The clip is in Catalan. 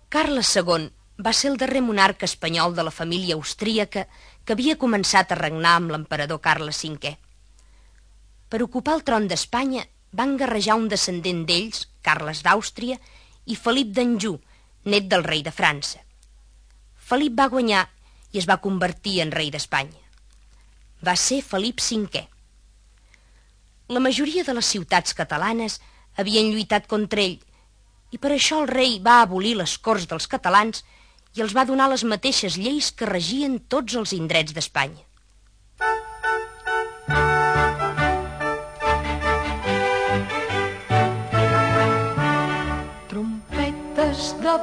Carles II va ser el darrer monarca espanyol de la família austríaca que havia començat a regnar amb l'emperador Carles V. Per ocupar el tron d'Espanya van guerrejar un descendent d'ells, Carles d'Àustria, i Felip d'Anjou, net del rei de França. Felip va guanyar i es va convertir en rei d'Espanya. Va ser Felip V. La majoria de les ciutats catalanes havien lluitat contra ell i per això el rei va abolir les corts dels catalans i els va donar les mateixes lleis que regien tots els indrets d'Espanya.